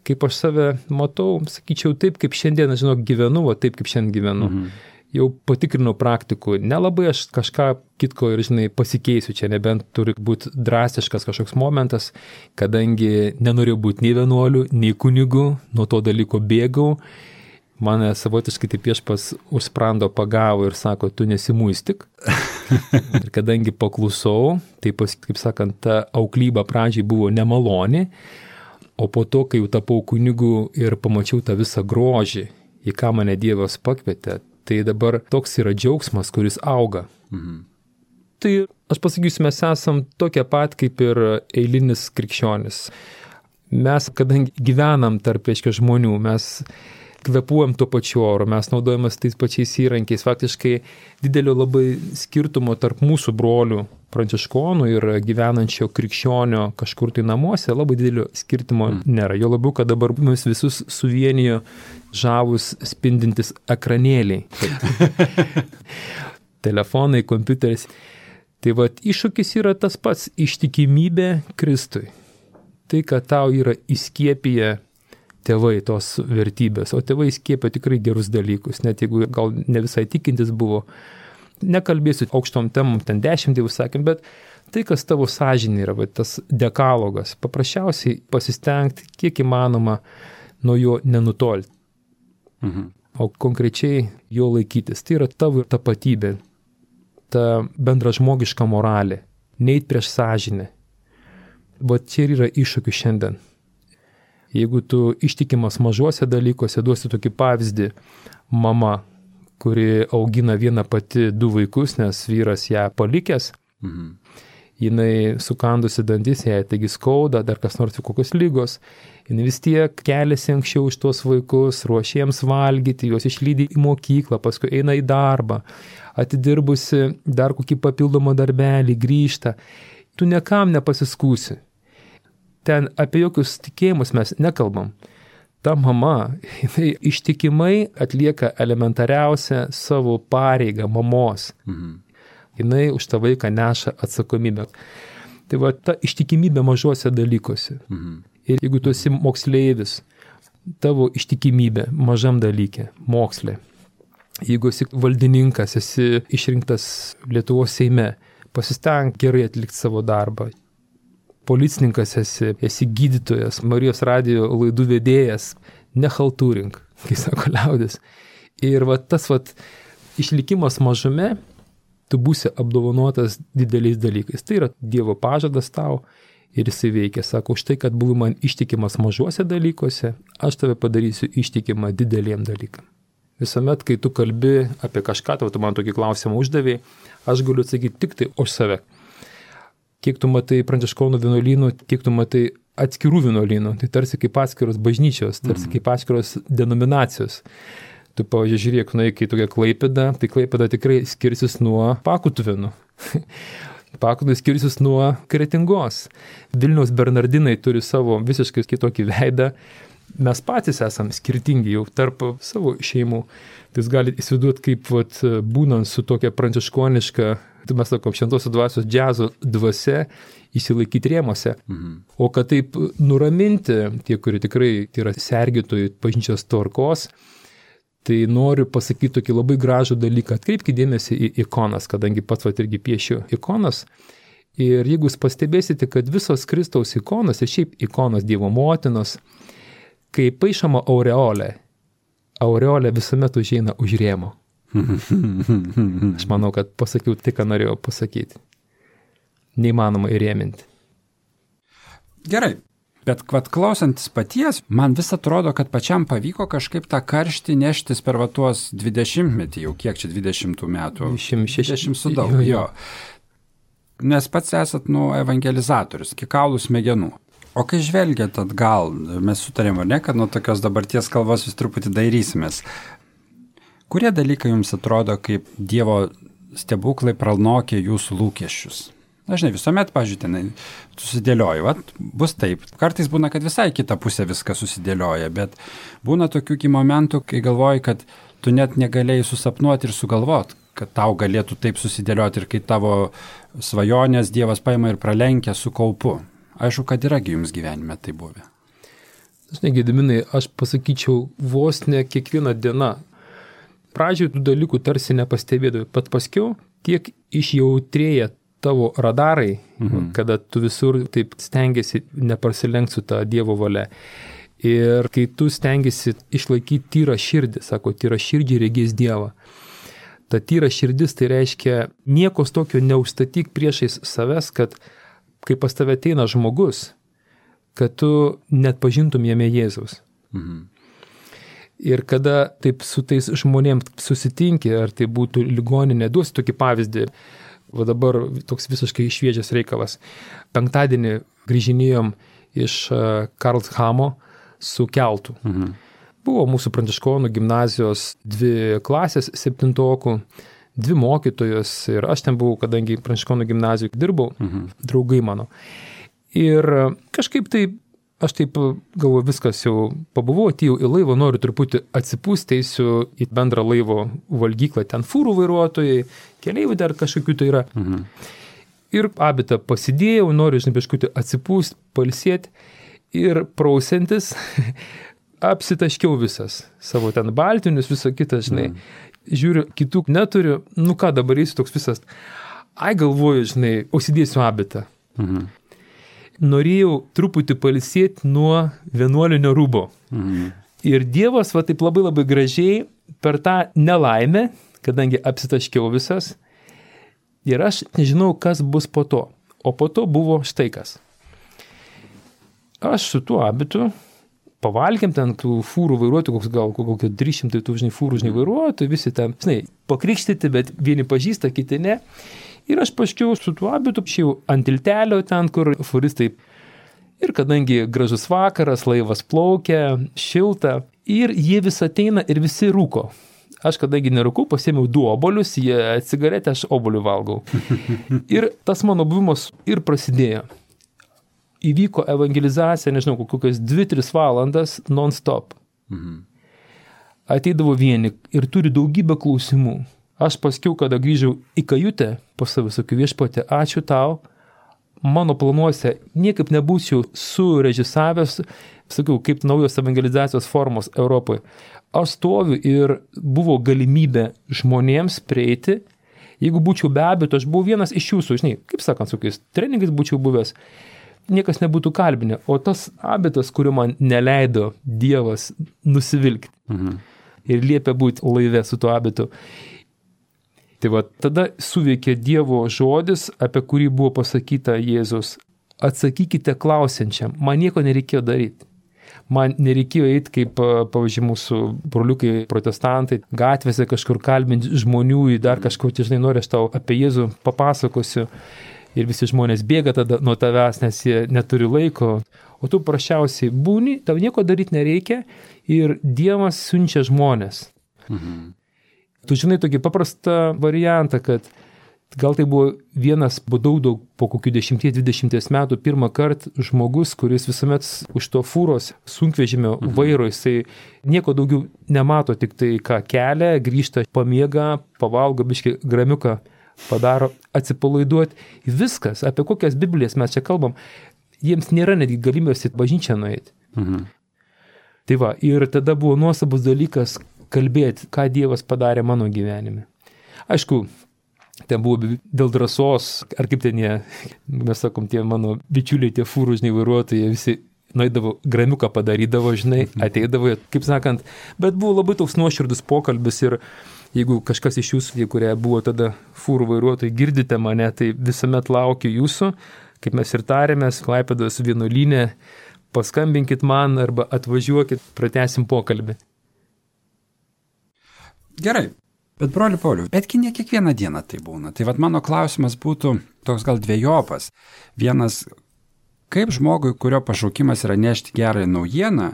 kaip aš save matau, sakyčiau taip, kaip šiandien, gyvenu, taip kaip šiandien gyvenu. jau patikrinau praktikų, nelabai aš kažką kitko ir, pasikeisiu, čia nebent turi būti drastiškas kažkoks momentas, kadangi nenorėjau būti nei vienuoliu, nei kunigu, nuo to dalyko bėgau, mane savotiškai taip viešpas už sprando pagavo ir sako, tu nesimuistik. Ir kadangi paklusau, tai kaip sakant, ta auklyba pradžiai buvo nemaloni, o po to, kai jau tapau kunigu ir pamačiau tą visą grožį, į ką mane Dievas pakvietė, tai dabar toks yra džiaugsmas, kuris auga. Tai aš pasakysiu, mes esam tokie pat kaip ir eilinis krikščionis. Mes, kadangi gyvenam tarp žmonių, mes kvepuojam tuo pačiu oru, mes naudojamas tais pačiais įrankiais. Faktiškai didelio labai skirtumo tarp mūsų brolių pranciškonų ir gyvenančio krikščionio kažkur tai namuose labai didelio skirtumo nėra. Jo labiau, kad dabar mus visus suvienijo žavus spindintis ekranėliai. Telefonai, kompiuteris. Tai vat iššūkis yra tas pats - ištikimybė Kristui. Tai, kad tau yra įskiepiję tėvai tos vertybės, o tėvai įskiepė tikrai gerus dalykus, net jeigu gal ne visai tikintis buvo. Nekalbėsiu aukštom temom, ten 10 dievų sakėm, bet tai, kas tavo sąžinė yra, tas dekalogas, paprasčiausiai pasistengti, kiek įmanoma nuo jo nenutolti. O konkrečiai jo laikytis. Tai yra tavo tapatybė, ta bendražmogiška moralė, neit prieš sąžinę. Bet čia yra iššūkių šiandien. Jeigu tu ištikimas mažuose dalykuose, duosi tokį pavyzdį, mama, kuri augina vieną pati 2 vaikus, nes vyras ją palikęs, jinai sukandusi dantis, jai taigi skauda, dar kas nors kokios lygos, jinai vis tiek keliasi anksčiau iš tuos vaikus, ruošia jiems valgyti, juos išlydi į mokyklą, paskui eina į darbą, atidirbusi dar kokį papildomą darbelį, grįžta, tu niekam nepasiskūsi. Ten apie jokius tikėjimus mes nekalbam. Ta mama, jinai ištikimai atlieka elementariausią savo pareigą mamos. Jinai už tą vaiką neša atsakomybę. Tai va, ta ištikimybė mažuose dalykuose. Ir jeigu tu esi moksleivis, tavo ištikimybė mažam dalyke, moksle. Jeigu esi valdininkas, esi išrinktas Lietuvos Seime, pasistenk gerai atlikti savo darbą. Policininkas esi gydytojas, Marijos radijo laidų vedėjas, nechaltūrink, kai sako liaudis. Ir va, tas išlikimas mažume, tu būsi apdovanotas dideliais dalykais. Tai yra Dievo pažadas tau ir jisai veikia. Sako, už tai, kad buvai man ištikimas mažuose dalykuose, aš tave padarysiu ištikimą dideliem dalykam. Visuomet, kai tu kalbi apie kažką, tu man tokį klausimą uždavėjai, aš galiu atsakyti tik tai už save. Kiek tu matai pranciškonų vienuolynų, kiek tu matai atskirų vienuolynų, tai tarsi kaip atskiros bažnyčios, tarsi kaip atskiros denominacijos. Tu, pavyzdžiui, žiūrėk, kai tokia Klaipėda, tai Klaipėda tikrai skirsis nuo Pakutuvėnų. Pakutuvė skirsis nuo Kretingos. Vilniaus Bernardinai turi savo visiškai kitokį veidą. Mes patys esam skirtingi jau tarp savo šeimų. Tai jūs galite įsivaizduoti, kaip būnant su tokia pranciškoniška, tai mes sakom, šventosios dvasios džiazo dvasia, įsilaikyti rėmose. O kad taip nuraminti tie, kurie tikrai yra sergėtojai bažnyčios tvarkos, tai noriu pasakyti tokį labai gražų dalyką. Atkreipkite dėmesį į ikonas, kadangi pats irgi piešiu ikonas. Ir jeigu jūs pastebėsite, kad visos Kristaus ikonos ir šiaip ikonos Dievo motinos, kai paišoma aureolė visuomet užeina už rėmo. Aš manau, kad pasakiau tai, ką norėjau pasakyti. Neįmanoma įrėminti. Gerai, bet klausantis paties, man vis atrodo, kad pačiam pavyko kažkaip tą karštį neštis per tuos 20 metį, jau kiek čia 20 metų? 20 su daug, jo. Nes pats esat, evangelizatorius, iki kaulų smegenų. O kai žvelgiat atgal, mes sutarėm, ar ne, kad nuo tokios dabarties kalbos vis truputį dairysimės. Kurie dalykai jums atrodo, kaip Dievo stebuklai pranokė jūsų lūkesčius? Dažnai visuomet, pažiūrėjau, susidėlioju, bus taip. Kartais būna, kad visai kita pusė viskas susidėlioja, bet būna tokių momentų, kai galvoji, kad tu net negalėjai susapnuoti ir sugalvoti, kad tau galėtų taip susidėlioti ir kai tavo svajonės Dievas paima ir pralenkia su kaupu. Aišku, kad yragi jums gyvenime tai buvę. Gediminai, aš pasakyčiau, vos ne kiekviena diena pradžioje tų dalykų tarsi nepastebėdavai, bet paskiau tiek išjautrėja tavo radarai, kada tu visur taip stengiasi neprasilenkti su ta Dievo valia. Ir kai tu stengiasi išlaikyti tyrą širdį, sako, tyrą širdį regės Dievą. Ta tyra širdis tai reiškia nieko tokio neužstatyk priešais savęs, kad kai pas tave ateina žmogus, kad tu net pažintum jame Jėzaus. Ir kada taip su tais žmonėms susitinki, ar tai būtų ligoninė, duosiu tokį pavyzdį, va dabar toks visiškai šviežias reikalas. Penktadienį grįžinėjom iš Karlshamo su keltu. Buvo mūsų pranciškonų gimnazijos 2 klasės 7-okų, 2 mokytojos ir aš ten buvau, kadangi pranciškonų gimnazijoje dirbau, draugai mano. Ir kažkaip tai, aš taip galvoju, viskas jau pabuvau, atėjau į laivą, noriu truputį atsipūsti, eisiu į bendrą laivo valgyklą, ten fūrų vairuotojai, keleivių dar kažkokių tai yra. Ir abitą pasidėjau, noriu, žinai, biškutį atsipūsti, pailsėti ir prausiantis, apsitaškiau visas, savo ten baltinius, visą kitą, žinai. Žiūriu, kitų neturiu, nu ką dabar eisiu toks visas. Ai galvoju, žinai, užsidėsiu abitą. Norėjau truputį pailsėti nuo vienuolinio rūbo. Ir Dievas, va taip labai labai gražiai per tą nelaimę, kadangi apsitaškiau visas, ir aš nežinau, kas bus po to. O po to buvo štai kas. Aš su tuo abitu pavalgėm ten tų fūrų vairuotojų, gal kokio 300 tų, žinai, fūrų, žinai, vairuotojų, visi ten, žinai, pakrikštyti, bet vieni pažįsta, kiti ne. Ir aš paškiau su tuo abitu, šiau ant tiltelio ten, kur fūristai. Ir kadangi gražus vakaras, laivas plaukia, šilta, ir jie vis ateina ir visi rūko. Aš kadangi nerūkau, pasėmiau 2 obuolius, jie cigaretę, aš obuolių valgau. Ir tas mano buvimas ir prasidėjo. Įvyko evangelizacija, nežinau, kokios 2-3 valandas non-stop. Ateidavo vieni ir turi daugybę klausimų. Aš paskiau, kada grįžau į kajutę, pas save sakiau, Viešpatie, ačiū tau, mano planuose niekaip nebūčiau surežisavęs, sakiau, kaip naujos evangelizacijos formos Europoje. Aš stoviu ir buvo galimybė žmonėms prieiti. Jeigu būčiau be abejo, aš buvau vienas iš jūsų, žinai, kaip sakant, su kokiais treningais būčiau buvęs, niekas nebūtų kalbinę, o tas abitas, kurio man neleido Dievas nusivilkti ir liepė būti laive su tuo abitu. Tai va, tada suveikė Dievo žodis, apie kurį buvo pasakyta Jėzus. Atsakykite klausiančiam, man nieko nereikėjo daryti. Man nereikėjo eiti, kaip, pavyzdžiui, mūsų broliukai protestantai, gatvėse kažkur kalbinti žmonių, dar kažkur, žinai, nori, aš tau apie Jėzų papasakosiu. Ir visi žmonės bėga tada nuo tavęs, nes jie neturi laiko. O tu prašiausiai būni, tau nieko daryti nereikia ir Dievas siunčia žmonės. Tu žinai tokį paprastą variantą, kad gal tai buvo vienas daug po kokių 10-20 metų pirmą kartą žmogus, kuris visuomet už to fūros sunkvežimio vairo, jisai nieko daugiau nemato, tik tai ką kelia, grįžta, pamiega, pavalgo biškį gramiuką, padaro, atsipalaiduoti. Viskas, apie kokias Biblijas mes čia kalbam, jiems nėra netgi galimybės į bažnyčią nueiti. Tai va, ir tada buvo nuostabus dalykas kalbėti, ką Dievas padarė mano gyvenime. Aišku, ten buvo dėl drąsos, ar kaip ten jie, mes sakom, tie mano bičiuliai, tie fūrų, žinai, vairuotojai, visi nueidavo, gramiuką padarydavo, žinai, ateidavo, kaip sakant, bet buvo labai toks nuoširdus pokalbis ir jeigu kažkas iš jūsų, kurie buvo tada fūrų vairuotojai, girdite mane, tai visuomet laukiu jūsų, kaip mes ir tarėmės, Klaipėdos vienuolyne, paskambinkit man arba atvažiuokit, pratęsim pokalbį. Gerai, bet broli Pauliau, betgi ne kiekvieną dieną tai būna. Tai vat mano klausimas būtų toks gal dvejopas. Vienas, kaip žmogui, kurio pašaukimas yra nešti gerąją naujieną,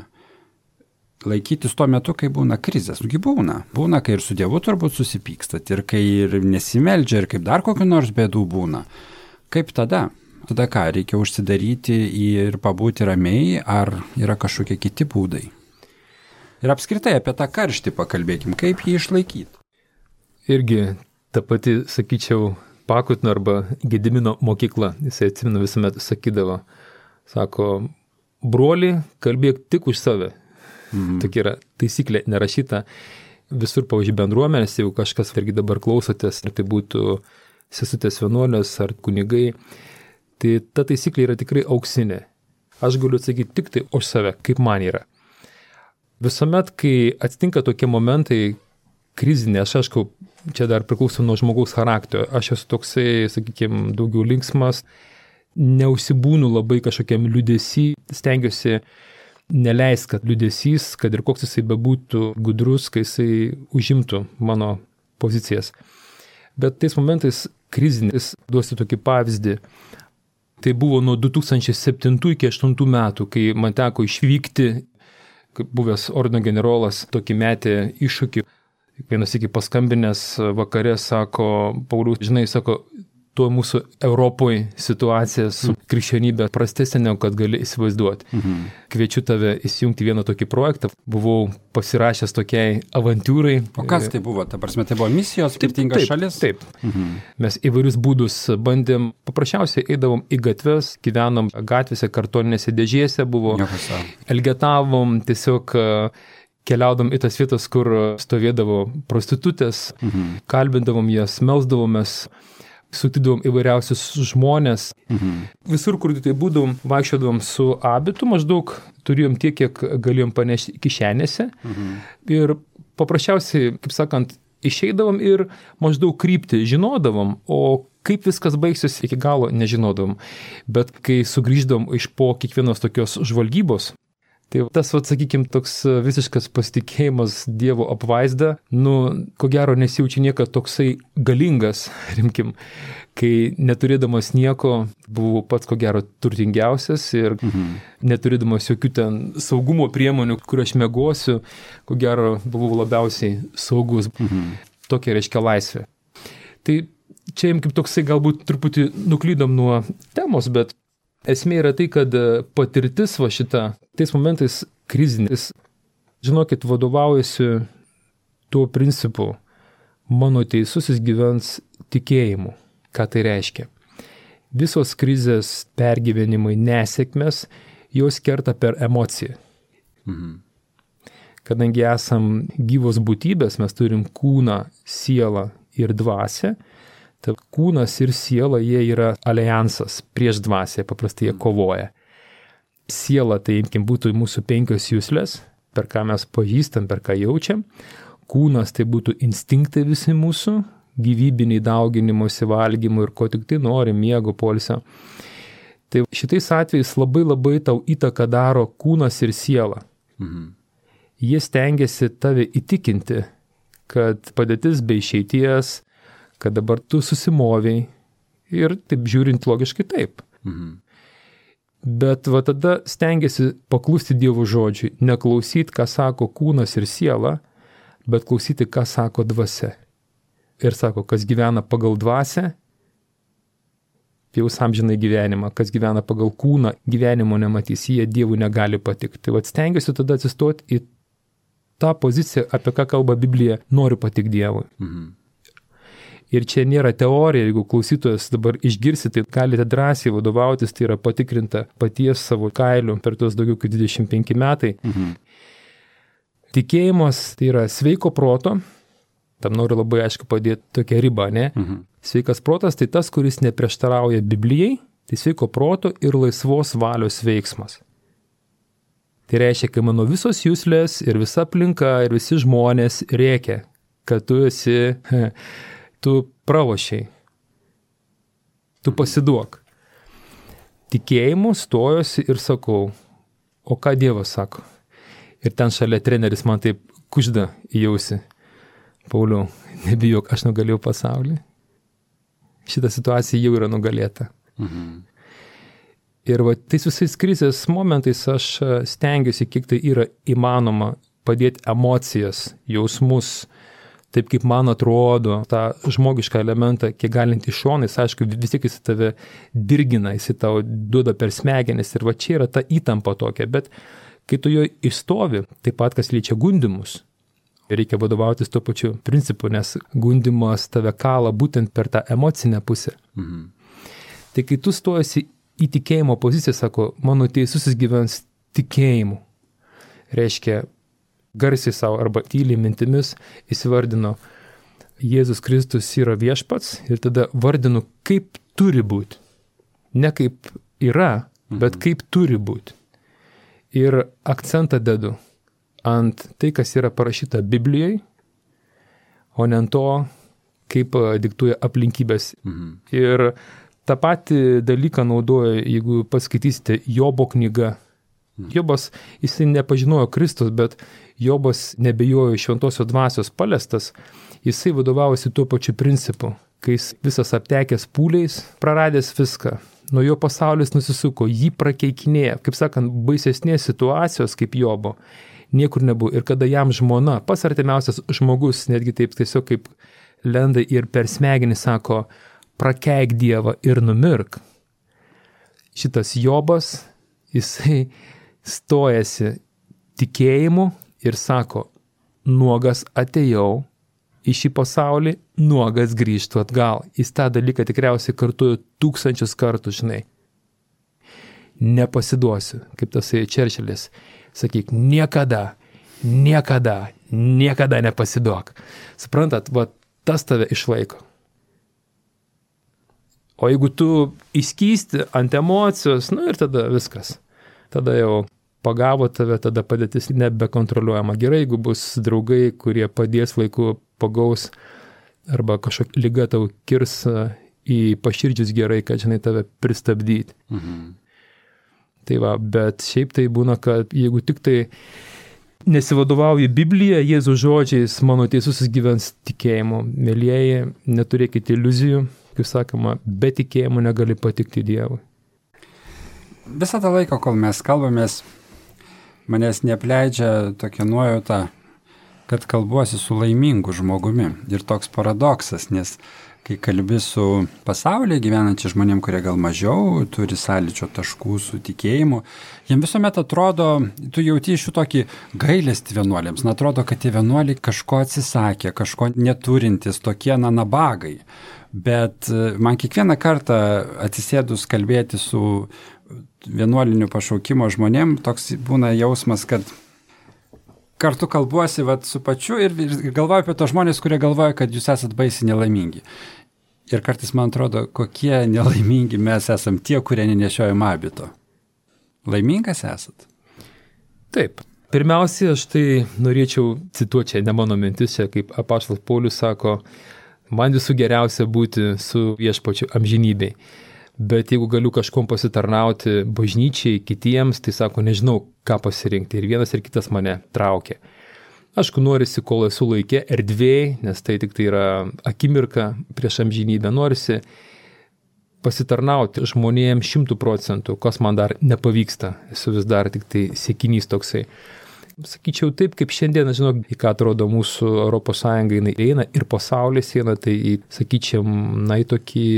laikytis tuo metu, kai būna krizės. Nugi būna. Būna, kai ir su Dievu turbūt susipykstat, ir kai ir nesimeldžia, ir kaip dar kokių nors bėdų būna. Kaip tada? Tada ką, reikia užsidaryti ir pabūti ramiai, ar yra kažkokie kiti būdai? Ir apskritai apie tą karštį pakalbėkim, kaip jį išlaikyti. Irgi ta pati, sakyčiau, Pakutno arba Gedimino mokykla, jisai atsimenu visuomet sakydavo, sako, broli, kalbėk tik už save. Tokia yra taisyklė nerašyta. visur, pavyzdžiui, bendruomenės, jeigu kažkas irgi dabar klausotės, ar tai būtų sesutės vienuolės ar kunigai, tai ta taisyklė yra tikrai auksinė. Aš galiu atsakyti tik tai už save, kaip man yra. Visuomet, kai atsitinka tokie momentai krizinė, aš aišku, čia dar priklauso nuo žmogaus charakterio, aš esu toksai, sakykime, daugiau linksmas, neužsibūnu labai kažkokiam liūdesy, stengiuosi neleis, kad liūdesys, kad ir koks jisai bebūtų gudrus, kai jisai užimtų mano pozicijas. Bet tais momentais krizinis, duosiu tokį pavyzdį, tai buvo nuo 2007 iki 2008 metų, kai man teko išvykti, kaip buvęs ordino generolas, tokį metė iššūkį. Vienas iki paskambinęs vakare sako, Paulius, žinai, sako, tuo mūsų Europoje situacija su krikščionybė prastesnė, negu kad gali įsivaizduoti. Kviečiu tave įsijungti vieną tokį projektą. Buvau pasirašęs tokiai avantūrai. O kas tai buvo? Ta prasme, tai buvo misijos, skirtingas šalis? Taip. Mes įvairius būdus bandėm, paprasčiausiai eidavom į gatves, gyvenom gatvėse, kartoninėse dėžėse, elgetavom, tiesiog keliaudom į tas vietas, kur stovėdavo prostitutės, kalbindavom jas, melsdavomės, sutidavom įvairiausius žmonės. Visur, kur tai būdavom, vaikščiodavom su abitu, maždaug turėjom tiek, kiek galėjom panešti kišenėse. Ir paprasčiausiai, kaip sakant, išeidavom ir maždaug kryptį žinodavom, o kaip viskas baigsis iki galo nežinodavom. Bet kai sugrįždavom iš po kiekvienos tokios žvalgybos, tai tas, sakykime, toks visiškas pasitikėjimas Dievo apvaizda, ko gero nesijaučia niekad toksai galingas, rimkim, kai neturėdamas nieko buvau pats, ko gero, turtingiausias ir neturėdamas jokių ten saugumo priemonių, kur aš miegosiu, ko gero, buvau labiausiai saugus. Tokia reiškia laisvė. Tai čia kaip toksai galbūt truputį nuklydom nuo temos, bet esmė yra tai, kad patirtis va šita, tais momentais krizinis, žinokit, vadovaujasi tuo principu, mano teisusis gyvens tikėjimu. Ką tai reiškia? Visos krizės pergyvenimai, nesėkmės, jos kerta per emociją. Kadangi esam gyvos būtybės, mes turim kūną, sielą ir dvasią, tai kūnas ir siela, jie yra alijansas prieš dvasią, paprastai jie kovoja. Siela, tai būtų mūsų 5 juslės, per ką mes pažįstam, per ką jaučiam. Kūnas, tai būtų instinktai visi mūsų, gyvybiniai dauginimosi, valgymų ir ko tik tai nori, miego, poilsio. Tai šitais atvejais labai tau įtaką daro kūnas ir siela. Jie stengiasi tave įtikinti, kad padėtis be išeities, kad dabar tu susimoviai ir taip žiūrint logiškai taip. Bet va tada stengiasi paklusti Dievo žodžiui, neklausyti, ką sako kūnas ir siela, bet klausyti, ką sako dvasia. Ir sako, kas gyvena pagal dvasią, jaus amžinai gyvenimą, kas gyvena pagal kūną, gyvenimo nematys, jie Dievui negali patikti. Tai va stengiasi tada atsistoti į tą poziciją, apie ką kalba Biblija, noriu patikti Dievui. Ir čia nėra teorija, jeigu klausytojas dabar išgirsi, tai galite drąsiai vadovautis, tai yra patikrinta paties savo kailiu per tuos daugiau kaip 25 metai. Tikėjimas tai yra sveiko proto, tam noriu labai aišku padėti tokią ribą, ne? Sveikas protas tai tas, kuris neprieštarauja Biblijai, tai sveiko proto ir laisvos valios veiksmas. Tai reiškia, kai mano visos juslės ir visa aplinka ir visi žmonės rėkia, kad tu pralošiai, tu pasiduok. Tikėjimu stojosi ir sakau, o ką Dievas sako? Ir ten šalia treneris man taip kužda į ausį. Pauliau, nebijok, aš nugalėjau pasaulį. Šita situacija jau yra nugalėta. Ir va, tais visais krizės momentais aš stengiuosi, kiek tai yra įmanoma, padėti emocijas, jausmus, taip kaip man atrodo, tą žmogišką elementą, kiek galint iš šonais, aišku, vis tiek jis tave dirgina, jis tau duoda per smegenis ir va čia yra ta įtampa tokia, bet kai tu jo išstovi, taip pat kas liečia gundimus, reikia vadovautis tuo pačiu principu, nes gundimas tave kala būtent per tą emocinę pusę. Tai kai tu stojasi į tikėjimo poziciją, sako, mano teisusis gyvens tikėjimu, reiškia, garsiai savo arba tyliai mintimis įsivardinu, Jėzus Kristus yra viešpats ir tada vardinu, kaip turi būti. Ne kaip yra, bet kaip turi būti. Ir akcentą dedu ant tai, kas yra parašyta Biblijoje, o ne ant to, kaip diktuoja aplinkybės. Ir tą patį dalyką naudoja, jeigu paskaitysite Jobo knygą. Jobas, jisai nepažinojo Kristus, bet Jobas nebejojo šventosios dvasios paliestas, jisai vadovavosi tuo pačiu principu, kai jis visas aptekęs pūliais, praradęs viską. Nuo jo pasaulis nusisuko, jį prakeikinėja, kaip sakant, baisesnės situacijos kaip Jobo niekur nebuvo. Ir kada jam žmona, pats artimiausias žmogus, netgi taip tiesiog kaip lenda ir per smegenį sako, prakeik Dievą ir numirk. Šitas Jobas, jisai stojasi tikėjimu ir sako, nuogas atėjau į šį pasaulį, nuogas grįžtų atgal. Jis tą dalyką tikriausiai kartuoju 1000 kartų, žinai. Nepasiduosiu, kaip tasai Čerčilis. Sakyk, niekada nepasiduok. Suprantat, va, tas tave išlaiko. O jeigu tu įskysti ant emocijos, ir tada viskas. Tada jau pagavo tave, tada padėtis nebekontroliuojama. Gerai, jeigu bus draugai, kurie padės laiku, pagaus, arba kažkokia liga tau kirs į paširdžius gerai, kad, žinai, tave pristabdyti. Tai va, bet šiaip tai būna, kad jeigu tik tai nesivadovauji Biblija, Jėzaus žodžiais, mano teisusis gyvens tikėjimu. Mėlyjeji, neturėkite iliuzijų, kaip sakoma, be tikėjimo negali patikti Dievui. Visą tą laiką, kol mes kalbamės, manęs neapleidžia tokia nuojauta, kad kalbuosi su laimingu žmogumi. Ir toks paradoksas, nes kai kalbi su pasaulyje gyvenančiais žmonėm, kurie gal mažiau turi sąlyčio taškų su tikėjimu, jiems visuomet atrodo, tu jauti iš jų tokį gailestį vienuolėms. Atrodo, kad tie vienuoliai kažko atsisakė, kažko neturintis, tokie nabagai. Bet man kiekvieną kartą atsisėdus kalbėti su vienuoliniu pašaukimo žmonėm, toks būna jausmas, kad kartu kalbuosi su pačiu ir galvoju apie tos žmonės, kurie galvoja, kad jūs esat baisiai nelaimingi. Ir kartais man atrodo, kokie nelaimingi mes esam tie, kurie nenešiojam abito. Laimingas esat? Taip. Pirmiausia, aš tai norėčiau cituoti, čia ne mano mintis, čia kaip apaštalas Paulius sako, man visų geriausia būti su viešpačiu amžinybei. Bet jeigu galiu kažkom pasitarnauti bažnyčiai, kitiems, tai sako, nežinau, ką pasirinkti. Ir vienas ir kitas mane traukia. Aišku, norisi, kol esu laike, erdvėj, nes tai tik tai yra akimirka prieš amžinybę. Norisi pasitarnauti žmonėms 100%, kas man dar nepavyksta. Esu vis dar tik tai siekinys toksai. Sakyčiau taip, kaip šiandien, žinau, į ką atrodo mūsų Europos Sąjunga eina ir pasaulis eina, tai sakyčiau, į tokį,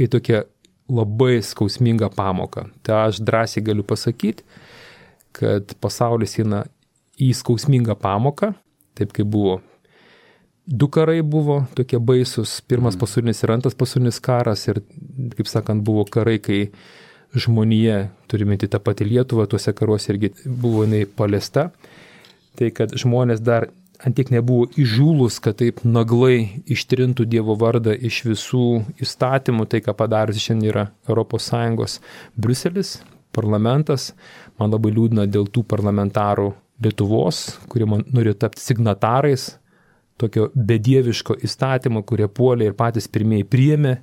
į tokią labai skausmingą pamoką. Tai aš drąsiai galiu pasakyti, kad pasaulis eina į skausmingą pamoką, taip kaip buvo. 2 karai buvo tokie baisus, pirmas pasaulinis ir antras pasaulinis karas ir, kaip sakant, buvo karai, kai žmonija, turime tą patį Lietuvą, tuose karuose irgi buvo jinai paliesta. Tai kad žmonės dar antiek nebuvo įžūlus, kad taip naglai ištrintų Dievo vardą iš visų įstatymų, tai ką padarys šiandien yra ES Briuselis, parlamentas. Man labai liūdna dėl tų parlamentarų Lietuvos, kurie nori tapti signatarais tokio bedieviško įstatymo, kurie puolė ir patys pirmieji priėmė.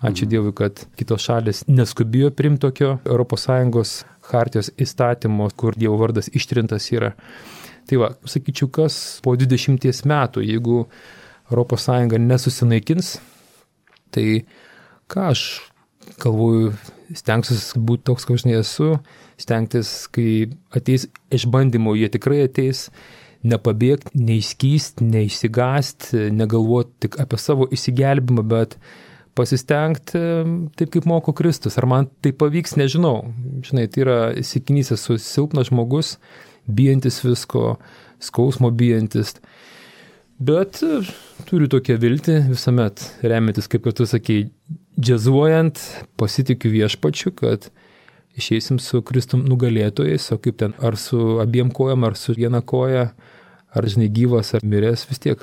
Ačiū Dievui, kad kitos šalis neskubijo priimti tokio ES chartijos įstatymo, kur Dievo vardas ištrintas yra. Tai va, sakyčiau, kas po 20 metų, jeigu ES nesusinaikins, tai ką aš galvoju, stengsiuosi būti toks, kaip aš nesu, stengtis, kai ateis išbandymų, jie tikrai ateis, nepabėgti, neišskysti, neišsigąsti, negalvoti tik apie savo išsigelbimą, bet pasistengti taip, kaip moko Kristus. Ar man tai pavyks, nežinau. Žinai, tai yra įsikinys, esu silpnas žmogus, bijantis visko, skausmo bijantis. Bet turiu tokią viltį visuomet remiantis, kaip tu sakei, džiazuojant, pasitikiu viešpačiu, kad išeisim su Kristum nugalėtojais, o kaip ten, ar su abiem kojom, ar su viena koja, ar žinai gyvas, ar miręs, vis tiek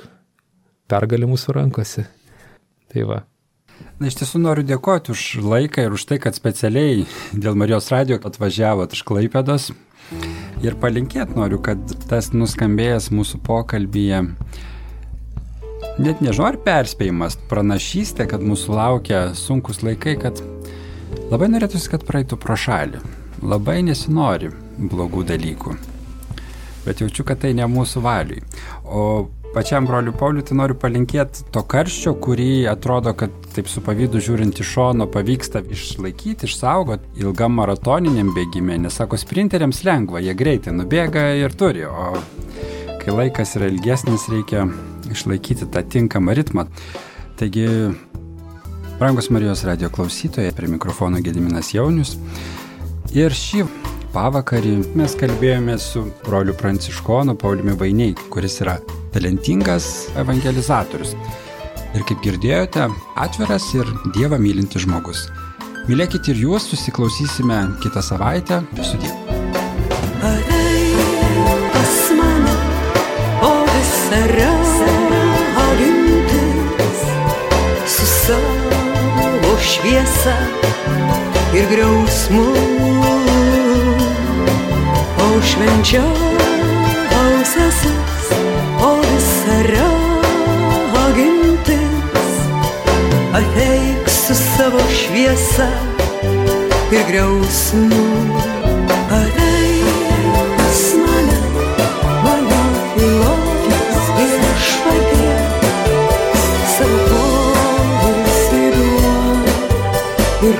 pergalė mūsų rankose. Tai va. Na, iš tiesų noriu dėkoti už laiką ir už tai, kad specialiai dėl Marijos radijo atvažiavot iš Klaipėdos. Ir palinkėti noriu, kad tas nuskambėjęs mūsų pokalbyje, net nežinau ar perspėjimas, pranašystė, kad mūsų laukia sunkus laikai, kad labai norėtųsi, kad praeitų pro šalį. Labai nesinori blogų dalykų. Bet jaučiu, kad tai ne mūsų valiui. O pačiam broliu Pauliui tai noriu palinkėti to karščio, kurį atrodo, kad taip su pavydu žiūrint iš šono pavyksta išlaikyti, išsaugoti ilgam maratoniniam bėgime. Nes sako, sprinteriams lengva, jie greitai nubėga ir turi. O kai laikas yra ilgesnis, reikia išlaikyti tą tinkamą ritmą. Taigi, brangus Marijos radijo klausytojai, prie mikrofono Gediminas Jaunius. Ir šį pavakarį mes kalbėjome su broliu pranciškonu Pauliumi Vainiai, kuris yra talentingas evangelizatorius. Ir kaip girdėjote, atviras ir Dievą mylintis žmogus. Mylėkit ir jūs, susiklausysime kitą savaitę. Sudie. Ateik pas mane, o visa ragintis, su savo šviesa ir griausmu, o švenčiausiasis, o visa ragintis, ateik su savo šviesa ir griausmu. Ateik pas mane, mano tylos viešpatie, savo poilsį duok ir